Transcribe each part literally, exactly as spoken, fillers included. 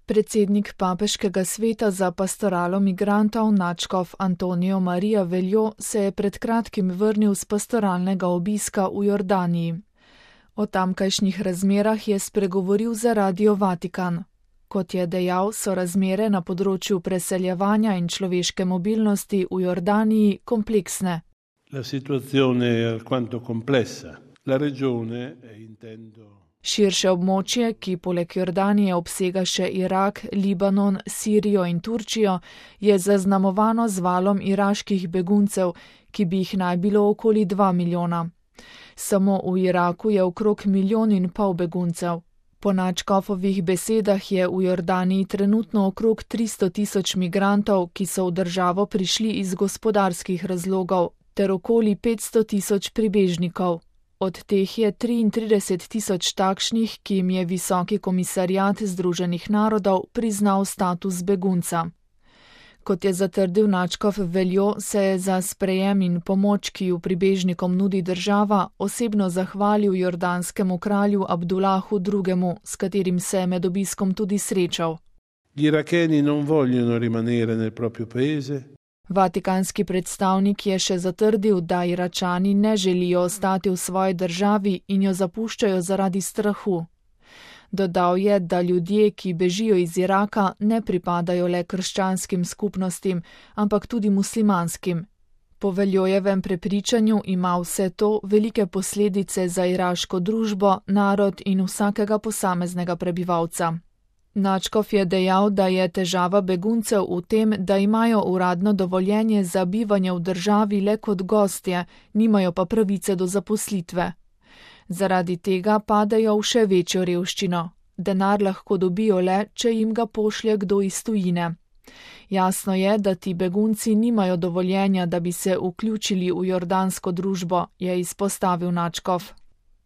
Predsednik papeškega sveta za pastoralo migrantov nadškof Antonijo Marija Veljo se je pred kratkim vrnil z pastoralnega obiska v Jordaniji. O tamkajšnjih razmerah je spregovoril za Radio Vatikan. Kot je dejal, so razmere na področju preseljevanja in človeške mobilnosti v Jordaniji kompleksne. La situazione è alquanto complessa. La regione, intendo... Širše območje, ki poleg Jordanije obsega še Irak, Libanon, Sirijo in Turčijo, je zaznamovano z valom iraških beguncev, ki bi jih naj bilo okoli dva milijona. Samo v Iraku je okrog milijon in pol beguncev. Po nadškofovih besedah je v Jordaniji trenutno okrog tristo tisoč migrantov, ki so v državo prišli iz gospodarskih razlogov, ter okoli petsto tisoč pribežnikov. Od teh je triintrideset tisoč takšnih, ki jim je Visoki komisariat Združenih narodov priznal status begunca. Kot je zatrdil nadškof Veljo, se je za sprejem in pomoč, ki ju pribežnikom nudi država, osebno zahvalil jordanskemu kralju Abdulahu drugemu, s katerim se je med obiskom tudi srečal. Gli iracheni non vogliono rimanere nel proprio paese. Vatikanski predstavnik je še zatrdil, da Iračani ne želijo ostati v svoji državi in jo zapuščajo zaradi strahu. Dodal je, da ljudje, ki bežijo iz Iraka, ne pripadajo le krščanskim skupnostim, ampak tudi muslimanskim. Po Veljojevem prepričanju ima vse to velike posledice za iraško družbo, narod in vsakega posameznega prebivalca. Nadškof je dejal, da je težava beguncev v tem, da imajo uradno dovoljenje za bivanje v državi le kot gostje, nimajo pa pravice do zaposlitve. Zaradi tega padajo v še večjo revščino. Denar lahko dobijo le, če jim ga pošlje kdo iz tujine. Jasno je, da ti begunci nimajo dovoljenja, da bi se vključili v jordansko družbo, je izpostavil nadškof.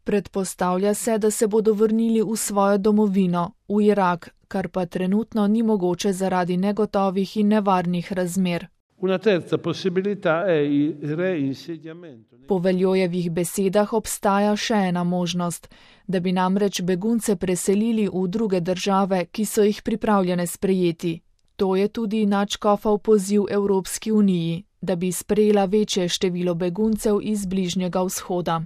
Predpostavlja se, da se bodo vrnili v svojo domovino, v Irak, kar pa trenutno ni mogoče zaradi negotovih in nevarnih razmer. Una terza possibilità è il reinsediamento. Po Veljojevih besedah obstaja še ena možnost, da bi namreč begunce preselili v druge države, ki so jih pripravljene sprejeti. To je tudi nadškofov poziv Evropski uniji, da bi sprejela večje število beguncev iz Bližnjega vzhoda.